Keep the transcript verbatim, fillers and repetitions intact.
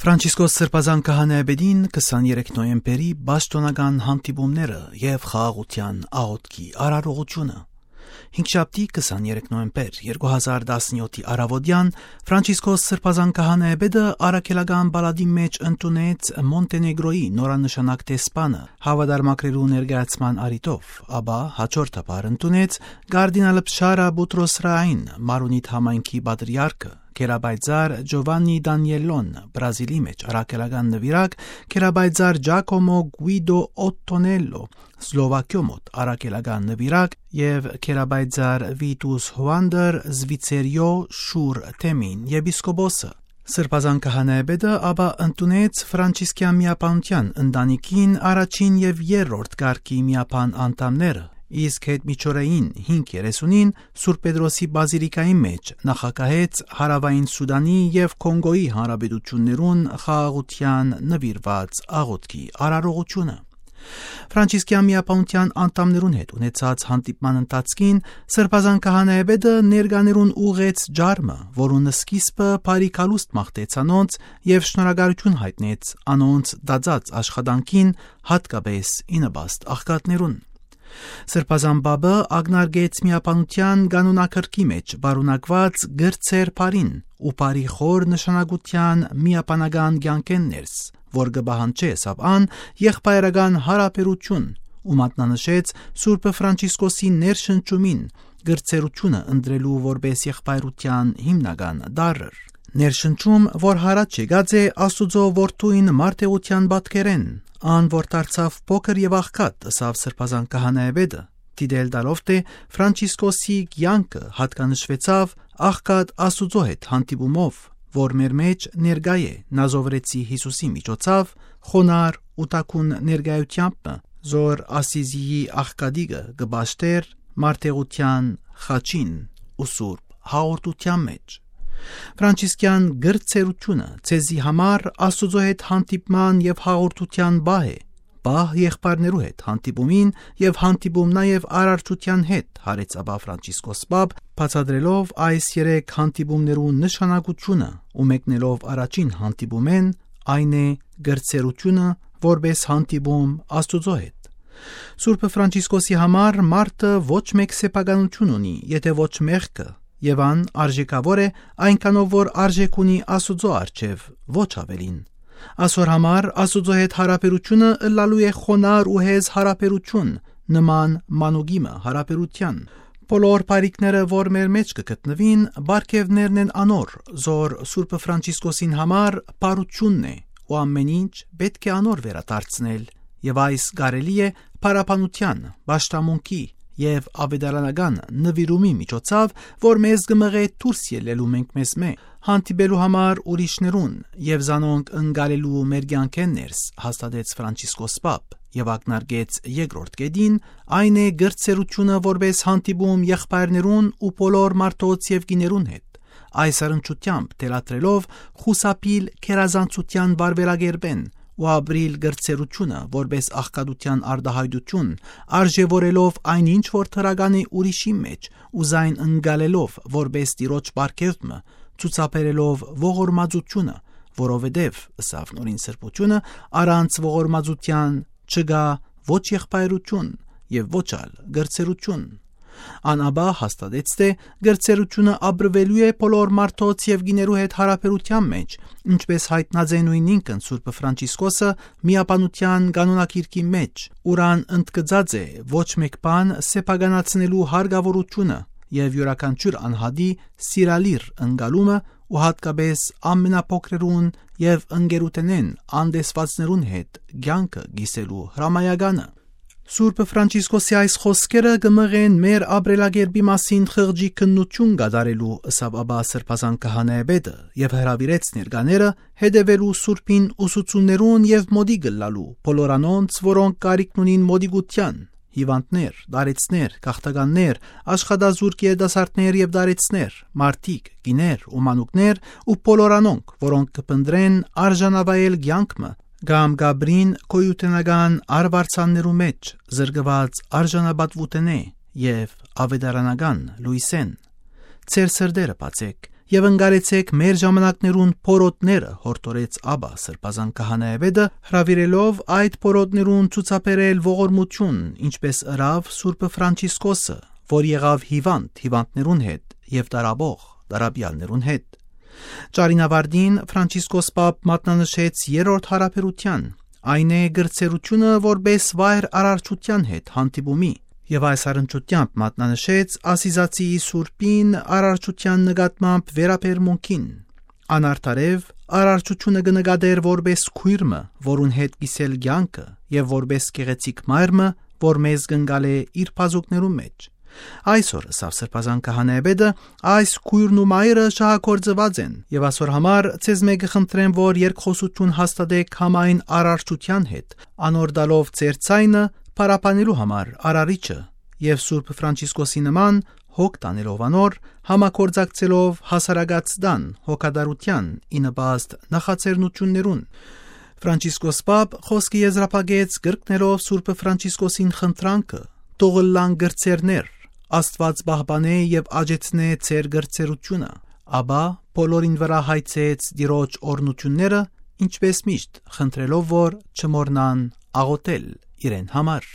Ֆրանցիսկոս Սրբազան Քահանայապետին քսաներեք նոյեմբերի պաշտօնական հանդիպումները եւ խաղաղութեան աղօթքի արարողությունը։ Հինգշաբթի քսաներեք նոյեմբեր երկու հազար տասնեթի առաւօտեան Ֆրանցիսկոս Սրբազան Քահանայապետը առաքելական պալատի մէջ ընդունեց Մոնտենեգրոյի նորանշանակ դեսպանը, հաւատարմագրերու ներկայացման առիթով, ապա հաջորդաբար ընդունեց կարդինալ Պշարա Պուտրոս Ռային, Մարոնիտ համայնքի պատրիարքը, գերապայծառ Ջովաննի Դանիելլոն, Բրազիլի մէջ առաքելական նուիրակ, գերապայծառ Ջակոմո Գուիդո Օտտոնելլո, Սլովակիոյ մօտ առաքելական նուիրակ, եւ գերապայծառ Վիտուս Հուանդեր, Զվիցերիոյ Շուր Թեմին եպիսկոպոսը։ Սրբազան Քահանայապետը ապա ընդունեց Ֆրանցիսկեան միաբանութեան ընտանիքին առաջին եւ երրորդ կարգի միաբան անդամները, իսկ յետ միջօրեին հինգ երեսունին Սուրբ Պետրոսի բազիլիկայի մէջ նախագահեց Հարաւային Սուտանի եւ Կոնկոյի հանրապետութիւններուն խաղաղութեան նուիրուած աղօթքի արարողությունը։ Ֆրանցիսկեան միաբանութեան անդամներուն հետ ունեցած հանդիպման ընթացքին Սրբազան Քահանայապետը ներկաներուն ուղղեց ջարմը, որուն սկիզբը բարի գալուստ մաղթեց անոնց եւ շնորհակալութիւն յայտնեց անոնց տածած աշխատանքին, յատկապէս ի նպաստ աղքատներուն։ Սրբազան Պապը ակնարկեց միաբանութեան կանոնագրքի մէջ պարունակուած կրտսեր բառին ու բարի խոր նշանակութեան միաբանական կեանքէն ներս, որ կը պահանջէ, ըսաւ ան, եղբայրական յարաբերութիւն ու մատնանշեց Սուրբ Ֆրանցիսկոսի ներշնչումին կրտսերութիւնը ընտրելու որպէս եղբայրութեան հիմնական տարր։ Ներշնչում, որ յառաջ եկած է Աստուծոյ Որդին մարտեղութեան պատկերէն, ան որ դարձաւ փոքր եւ աղքատ, ըսաւ Սրբազան Քահանայապետը, դիտել տալով թէ Ֆրանցիսկոսի կեանքը յատկանշուեցաւ աղքատ Աստուծոյ հետ հանդիպումով, որ մեր մէջ ներկայ է Նազովրեցի Յիսուսի միջոցաւ, խոնար ու թաքուն ներկայութեամբ մը, զոր Ասիզիի աղքատիկը կը պաշտէր մարտեղութեան խաչին ու սուրբ հաղորդութեան մէջ։ Ֆրանցիսկեան կրտսերութիւնը ձեզի համար Աստուծոյ հետ հանդիպման եւ հաղորդութեան պահ է, պահ եղբայրներու հետ հանդիպումին եւ հանդիպում նաեւ արարչութեան հետ, յարեց ապա Ֆրանցիսկոս Պապ, բացատրելով այս երեք հանդիպումներու նշանակութիւնը ու մեկնելով առաջին հանդիպումէն, այն է կրտսերութիւնը որպէս հանդիպում Աստուծոյ հետ։ Սուրբ Ֆրանցիսկոսի համար մարդը ոչ մէկ սեփականութիւն ունի, եթէ ոչ մեղքը, եւ ան արժեքաւոր է այնքանով, որ արժեք ունի Աստուծոյ առջեւ, ոչ աւելին։ Ասոր համար Աստուծոյ հետ յարաբերութիւնը ըլլալու է խոնար ու հեզ յարաբերութիւն, նման մանուկի մը յարաբերութեան։ Բոլոր բարիքները, որ մեր մէջ կը գտնուին, պարգեւներն են անոր, զոր Սուրբ Ֆրանցիսկոսին համար բարութիւնն է ու ամէն ինչ պէտք է անոր վերադարձնել, եւ այս կարելի է փառաբանութեան, պաշտամունքի եւ աւետարանական նուիրումի միջոցաւ, որ մեզ կը մղէ դուրս ելլելու մենք մեզմէ, հանդիպելու համար ուրիշներուն եւ զանոնք ընկալելու մեր կեանքէն ներս, հաստատեց Ֆրանցիսկոս Պապ եւ ակնարկեց երկրորդ կետին, այն է կրտսերութիւնը որպէս հանդիպում եղբայրներուն ու բոլոր մարդոց եւ կիներուն հետ, այս առնչութեամբ թելադրելով խուսափիլ գերազանցութեան վարվելակերպէն ու ապրիլ կրտսերութիւնը որպէս աղքատութեան արտահայտութիւն, արժեւորելով այն ինչ որ դրական է ուրիշի մէջ ու զայն ընկալելով որպէս Տիրոջ պարգեւ մը, ցուցաբերելով ողորմածութիւնը, որովհետեւ, ըսաւ Նորին Սրբութիւնը, առանց ողորմածութեան չկայ ոչ եղբայրութիւն եւ ոչ ալ կրտսերութիւն։ Ան ապա հաստատեց թէ կրտսերութիւնը ապրուելու է բոլոր մարդոց եւ կիներու հետ յարաբերութեան մէջ, ինչպէս յայտնած է նոյնինքն Սուրբ Ֆրանցիսկոսը միաբանութեան կանոնագիրքի մէջ, ուրան ընդգծած է ոչ մէկ բան սեփականացնելու հարկաւորութիւնը եւ իւրաքանչիւր անհատի սիրալիր ընկալումը ու յատկապէս ամենափոքրերուն եւ ընկերութենէն անտեսուածներուն հետ կեանքը կիսելու հրամայականը։ Սուրբ Ֆրանցիսկոսի այս խօսքերը կը մղեն մեր ապրելակերպի մասին խղճի քննութիւն կատարելու, ըսաւ ապա Սրբազան Քահանայապետը եւ հրաւիրեց ներկաները հետեւելու Սուրբին ուսուցումներուն եւ մոտիկ ըլլալու բոլոր անոնց, որոնք կարիքն ունին մոտիկութեան, հիւանդներ, տարեցներ, գաղթականներ, աշխատազուրկ երիտասարդներ եւ տարեցներ, մարդիկ, կիներ ու մանուկներ ու բոլոր անոնք, որոնք կը փնտռեն արժանավայել կեանք մը կամ կ'ապրին գոյութենական արուարձաններու մէջ, զրկուած արժանապատուութենէ եւ աւետարանական լոյսէն։ Ձեր սրտերը բացէք եւ ընկալեցէք մեր ժամանակներուն փորոտները», յորդորեց ապա Սրբազան քահանայապետը, հրաւիրելով այդ փորոտներուն ցուցաբերել ողորմութիւն, ինչպէս ըրաւ Սուրբը Ֆրանցիսկոսը, որ եղաւ հիվանդ հիվանդներուն հետ եւ տարապող տարապեալներուն հետ։ Ճառին աւարտին Ֆրանցիսկոս Պապ մատնանշեց երրորդ յարաբերութեան, այն է կրցերութիւնը որպէս վայր արարչութեան հետ հանդիպումի, եւ այս առնչությամբ մատնանշեց Ասիզացիի Սուրբին արարչութեան նկատմամբ վերաբերմունքին։ Անարդարեւ արարչութիւնը կը նկատէր որպէս քոյր մը, որուն հետ կիսել կեանքը, եւ որպէս գեղեցիկ մայր մը, որ մեզ կ'ընկալէ իր բազուկներուն մէջ։ Այսօր, ըսաւ Սրբազան քահանայապետը, այս քոյրն ու մայրը շահագործուած են, եւ ասոր համար ձեզմէ կը խնդրեմ, որ երկխօսութիւն հաստատէք համայն արարչութեան հետ, անոր տալով ձեր ձայնը փառաբանելու համար Արարիչը, եւ Սուրբ Ֆրանցիսկոսի նման հոգ տանելով անոր, համագործակցելով հասարակաց տան հոգատարութեան ի նպաստ նախաձեռնութիւններուն։ Ֆրանցիսկոս Պապ խօսքը եզրափակեց կրկնելով Սուրբ Ֆրանցիսկոսին խնդրանքը. «Թող ըլլան կրցերներ, Աստուած պահպանէ եւ աճեցնէ ձեր կրցերութիւնը», ապա բոլորին վրայ հայցեց Տիրոջ օրհնութիւնները, ինչպէս միշտ, խնդրելով որ չմոռնան աղօթել իրեն համար։